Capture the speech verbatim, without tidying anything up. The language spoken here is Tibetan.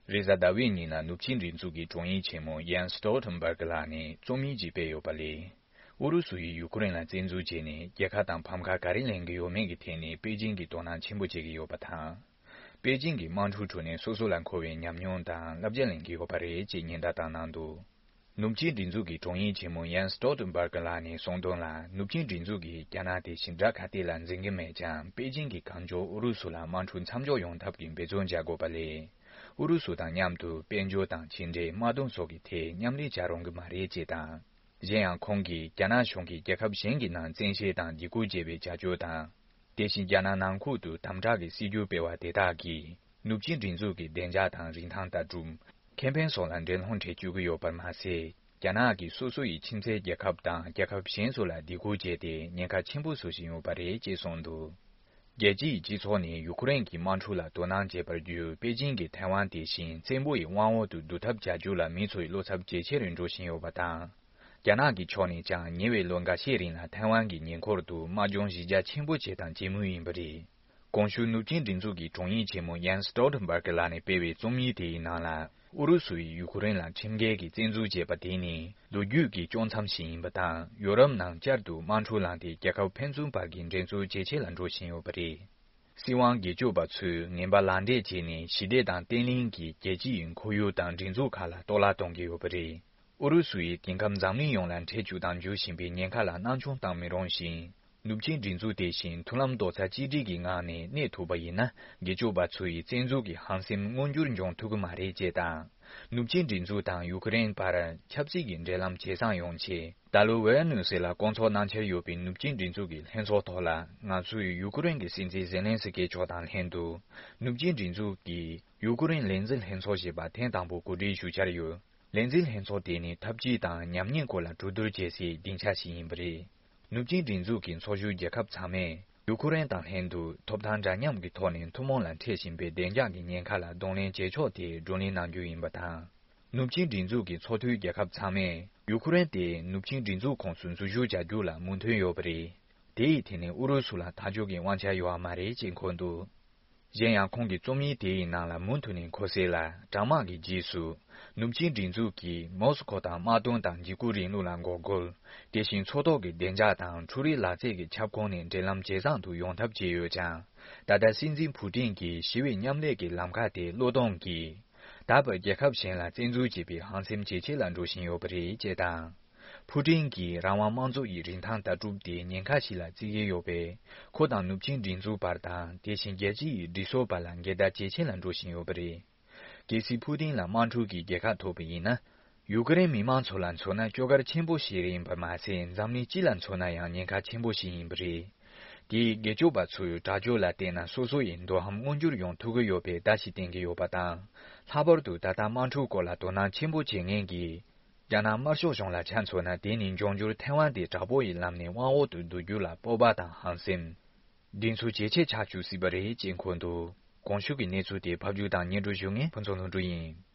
རེས་གཟའ་ཟླ་བའི་ཉིན་ལ་ནུབ་ཆིངས་སྒྲིག་འཛུགས་ཀྱི་དྲུང་ཡིག་ཆེན་མོ་ཡན་སི་སྟོལ་ཊེན་སྦར་གི་ལགས་ནས་རྩོམ་ཡིག་ཅིག་སྤེལ་ཡོད་པ་ལས། ཨུ་རུ་སུ་ཡིས་ཡུ་ཁུ་རེན་ལ་བཙན་འཛུལ་བྱས་ནས་རྒྱལ་ཁ་དང་ཕམ་ཁ་ག་རེ་ལེན་གྱི་ཡོད་མེད་ཀྱི་ཐད་ནས་པེ་ཅིང་གིས་དོ་སྣང་ཆེན་པོ་བྱེད་ཀྱི་ཡོད་པ་དང་། པེ་ཅིང་གིས་དམག་འཁྲུག་ཁྲོད་ནས་སོ་སོ་ལ་མཁོ་བའི་ཉམས་མྱོང་དང་བསླབ་བྱ་ལེན་གྱི་ཡོད་པ་རེད་ཅེས་ཉེན་བརྡ་བཏང་གནང་འདུག་ནུབ་ཆིངས་སྒྲིག་འཛུགས་ཀྱི་དྲུང་ཡིག་ཆེན་མོ་ཡན་སི་སྟོལ་ཊེན་སྦར་གི་ལགས་ནས་གསུངས་དོན་ལ། ནུབ་ཆིངས་སྒྲིག་འཛུགས་ཀྱིས་རྒྱ་ནག་དེ་བཞིན་དགྲ་ག་དེ་ལ་འཛིན་གྱི་མེད་ཀྱང་། པེ་ཅིང་གིས་གང་མགྱོགས་ཨུ་རུ་སུ་ལ་དམག་འཁྲུག་མཚམས་འཇོག་ཡོང་ཐབས་ཀྱི་འབད་བརྩོན་བྱ་དགོས་པ་ལས། ཨུ་རུ་སུ་དང་མཉམ་དུ་དཔལ་འབྱོར་དང་ཕྱི་འབྲེལ། དམག་དོན་སོགས་ཀྱི་ཐད་མཉམ་ལས་བྱ་རུང་གི་མ་རེད་ཅེས་དང་། གཞན་ཡང་ཁོང་གིས་རྒྱ་ནག་གཞུང་གིས་རྒྱལ་ཁབ་གཞན་གྱི་ནང་བཙན་ཤེད་དང་སྡིགས་སྐུལ་བྱེད་པའི་བྱ་སྤྱོད་དང་། དེ་བཞིན་རྒྱ་ནག་ནང་ཁུལ་དུ་དམ་དྲག་གི་སྲིད་ཇུས་སྤེལ་བ་དེ་དག་གིས་ནུབ་ཆིངས་སྒྲིག་འཛུགས་ཀྱི་བདེ་འཇགས་དང་རིན་ཐང་ལྟ་གྲུབ། ཁེ་ཕན་སོགས་ལ་འགྲན་སློང་འཕྲད་བཅུག་གི་ཡོད་པར་མ་ཟད། རྒྱ་ནག་གིས་སོ་སོ་ཡི་ཁྱིམ་མཚེས་རྒྱལ་ཁབ་དང་རྒྱལ་ཁབ་གཞན་སོགས་ལ་སྡིགས་སྐུལ་བྱས་ཏེ་ཉེན་ཁ་ཆེན་པོ་བཟོ་བཞིན་ཡོད་པ་རེད་ཅེས་གསུངས་འདུག་རྒྱལ་སྤྱིའི་སྤྱི་ཚོགས་ནས་ཡུ་ཁུ་རེན་གྱི་དམག་འཁྲུག་ལ་དོ་སྣང་བྱེད་པར་བརྒྱུད། པེ་ཅིང་གིས་ཐའེ་ཝན་དེ་བཞིན་བཙན་པོ་ཡི་དབང་འོག་ཏུ་བསྡུ་ཐབས་བྱ་རྒྱུ་ལ་མི་ཚོའི་བློ་འཚབ་ཇེ་ཆེར་འགྲོ་བཞིན་ཡོད་པ་དང་། རྒྱ་ནག་གི་ཕྱོགས་ནས་ཀྱང་ཉེ་བའི་ལོ་འགའ་ཤས་རིང་ལ་ཐའེ་ཝན་གྱི་ཉེ་འཁོར་དུ་དམག་སྦྱོང་གཞི་རྒྱ་ཆེན་པོ་བྱས་དང་བྱེད་མུས་ཡིན་པ་རེད། གོང་ཞུས་ནུབ་ཆིངས་སྒྲིག་འཛུགས་ཀྱི་དྲུང་ཡིག་ཆེན་མོ་ཡན་སི་སྟོལ་ཊེན་སྦར་གི་ལགས་ནས་སྤེལ་བའི་རྩོམ་ཡིག་དེའི་ནང་ལ། ཨུ་རུ་སུ་ཡིས་ཡུ་ཁུ་རེན་ལ་ཁྲིམས་འགལ་གྱི་བཙན་འཛུལ་བྱས་པ་དེ་ནི་ལོ་རྒྱུས་ཀྱི་དཀྱོག་མཚམས་ཤིག་ཡིན་པ་དང་། ཡོ་རོབ་ནང་བསྐྱར་དུ་དམག་འཁྲུག་ལངས་ཏེ་རྒྱལ་ཁབ་ཕན་ཚུན་བར་གྱི་འགྲན་རྩོད་ཇེ་ཆེ་ལ་འགྲོ་བཞིན་ཡོད་པ་རེད། སྲིད་དབང་སྒེར་གཅོད་པ་ཚོས་ངན་པ་ལག་འབྲེལ་བྱས་ནས་ཞི་བདེ་དང་བརྟན་ལྷིང་གི་རྒྱལ་སྤྱི་ཡི་ཁོར་ཡུག་དང་སྒྲིག་འཛུགས་ཁག་ལ་གཏོར་བརླག་གཏོང་གི་ཡོད་པ་རེད། ཨུ་རུ་སུ་ཡིས་དེང་སྐབས་འཛམ་གླིང་ཡོངས་ལ་འཕྲད་བཅུག་དང་འཇུ་བཞིན་པའི་ཉེན་ཁ་ལ་སྣང་ཆུང་བཏང་མི་རུང་ཞིང་། ནུབ་ཆིངས་སྒྲིག་འཛུགས་དེ་བཞིན་མཐུན་ལམ་རྡོག་རྩ་གཅིག་སྒྲིལ་གྱི་ངང་ནས་གནས་ཐུབ་པ་ཡིན་ན། སྒེར་གཅོད་པ་ཚོ་ཡི་བཙན་འཛུལ་གྱི་ཧམ་སེམས་མངོན་འགྱུར་འབྱུང་ཐུབ་ཀྱི་མ་རེད་ཅེས་དང་། ནུབ་ཆིངས་སྒྲིག་འཛུགས་དང་ཡུ་ཁུ་རེན་བར་ཆབ་སྲིད་ཀྱི་འབྲེལ་ལམ་ཇེ་བཟང་ཡོང་ཆེད། ད་ལོ་ཝེ་ནུ་སེ་ལ་སྐོང་ཚོགས་གནང་འཆར་ཡོད་པའི་ནུབ་ཆིངས་སྒྲིག་འཛུགས་ཀྱི་ལྷན་ཚོགས་ཐོག་ལ། ང་ཚོས་ཡུ་ཁུ་རེན་གྱི་སྲིད་འཛིན་ཛེ་ལན་སི་ཀི་མཆོག་དང་ལྷན་དུ། ནུབ་ཆིངས་སྒྲིག་འཛུགས་ཀྱི་ཡུ་ཁུ་རེན་ལས་འཛིན་ལྷན་ཚོགས་ཞེས་པ་ཐེངས་དང་པོ་གོ་སྒྲིག་ཞུ་འཆར་ཡོད། ལས་འཛིན་ལྷན་ཚོགས་དེ་ནི་འཐབ་ཇུས་དང་ཉམས་ཉེས་སྐོར་ལ་གྲོས་བསྡུར་བྱེད་སའི་སྡིངས་ཆ་ཞིག་ཡིན་པ་རེད། ནུབ་ཆིངས་སྒྲིག་འཛུགས་ཀྱི་ཚོགས་ཞུགས་རྒྱལ་ཁབ་ཚང་མས་ཡུ་ཁུ་རེན་དང་ལྷན་དུ་ཐོབ་ཐང་འདྲ་མཉམ་གྱི་ཐོག་ནས་ཐུན་མོང་ལ་འཕྲད་བཞིན་པའི་བདེ་འཇགས་ཀྱི་ཉེན་ཁ་ལ་གདོང་ལེན་བྱེད་ཕྱོགས་དེ་བགྲོ་གླེང་གནང་རྒྱུ་ཡིན་པ་དང་། ནུབ་ཆིངས་སྒྲིག་འཛུགས་ཀྱི་ཚོགས་འཐུས་རྒྱལ་ཁབ་ཚང་མས་ཡུ་ཁུ་རེན་དེ་ནུབ་ཆིངས་སྒྲིག་འཛུགས་ཁོངས་སུ་འཛུལ་ཞུགས་བྱ་རྒྱུ་ལ་མོས་མཐུན་ཡོད་པ་རེད། དེ་ཡི་ཐད་ནས་ཨུ་རུ་སུ་ལ་ཐག་གཅོད་ཀྱི་དབང་ཆ་ཡོད་པ་མ་རེད་ཅེས་འཁོད་འདུག་གཞན་ཡང་ཁོང་གི་རྩོམ་ཡིག་དེ་ཡི་ནང་ལ་མུ་མཐུད་ནས་འཁོད་གསལ་ལ། དྲག་དམག་གི་རྗེས་སུ་ནུབ་ཆིངས་སྒྲིག་འཛུགས་ཀྱིས་མོ་སི་ཁོ་དང་དམག་དོན་དང་འཇིགས་སྐུལ་རིང་ལུགས་ལ་འགོག་རྒོལ། དེ་བཞིན་མཚོ་ཐོག་གི་བདེ་འཇགས་དང་འཕྲུལ་རིག་ལག་རྩལ་གྱི་ཁྱབ་ཁོངས་ནས་འབྲེལ་ལམ་ཇེ་བཟང་དུ་ཡོང་ཐབས་བྱས་ཡོད་ཀྱང་། ད་ལྟ་སྲིད་འཛིན་ཕུ་ཏིན་གྱིས་ཞི་བའི་མཉམ་ལས་ཀྱི་ལམ་ཁ་དེ་བློས་གཏོང་གིས། ད་བར་རྒྱལ་ཁབ་གཞན་ལ་བཙན་འཛུལ་བྱེད་པའི་ཧམ་སེམས་ཇེ་ཆེ་ལ་འགྲོ་བཞིན་ཡོད་པ་རེད་ཅེས་དང་། ཕུ་ཏིན་གྱིས་རང་དབང་དམངས་གཙོ་ཡི་རིན་ཐང་ལྟ་གྲུབ་དེ་ཉེན་ཁ་ཞིག་ལ་བརྩི་གི་ཡོད་པས། ཁོ་དང་ནུབ་ཆིངས་སྒྲིག་འཛུགས་བར་དང་། དེ་བཞིན་རྒྱལ་སྤྱི་ཡི་སྒྲིག་སྲོལ་བར་ལ་འགལ་ཟླ་ཇེ་ཆེ་ལ་འགྲོ་བཞིན་ཡོད་པ་རེད། གལ་སྲིད་ཕུ་ཏིན་ལ་དམག་འཁྲུག་གི་རྒྱལ་ཁ་ཐོབ་པ་ཡིན་ན། ཡུ་ཀེ་རེན་མི་དམངས་ཚོ་ལ་མཚོན་ན་སྐྱོ་གར་ཆེན་པོ་ཞིག་ཡིན་པར་མ་ཟད། འཛམ་གླིང་སྤྱི་ལ་མཚོན་ན་ཡང་ཉེན་ཁ་ཆེན་པོ་ཞིག་ཡིན་པ་རེད། དེས་སྒེར་གཅོད་པ་ཚོའི་དྲག་སྤྱོད་ལ་བལྟས་ན། སོ་སོ་ཡི་འདོད་ཧམ་མངོན་འགྱུར་ཡོང་ཐུབ་ཀྱི་ཡོད་པའི་བརྡ་ཞིག་བསྟན་གྱི་ཡོད་པ་དང་། ལྷག་པར་དུ་ད་ལྟ་དམག་འཁྲུག་སྐོར་ལ་དོ་སྣང་ཆེན་པོ་བྱེད་མཁན་གྱི་རྒྱ་ནག་དམར་ཤོག་གཞུང་ལ་ཆ་མཚོན་ན། དེ་ནི་འབྱུང་འགྱུར་ཐའེ་ཝན་དེ་དྲག་པོ་ཡི་ལམ་ནས་དབང་འོག་ཏུ་བསྡུ་རྒྱུ་ལ་སྤོབས་པ་དང་ཧམ་སེམས། གདེང་ཚོད་ཇེ་ཆེ་ཆགས་བཅུག་སྲིད་པ་རེད་ཅེས་འཁོད་འདུག་གོང་ཞུས་ཀྱི་གནས་ཚུལ་དེ་ཕབ་སྒྱུར་དང་སྙན་སྒྲོན་ཞུ་མཁན་ཕུན་ཚོགས་ལྷུན་གྲུབ་ཡིན།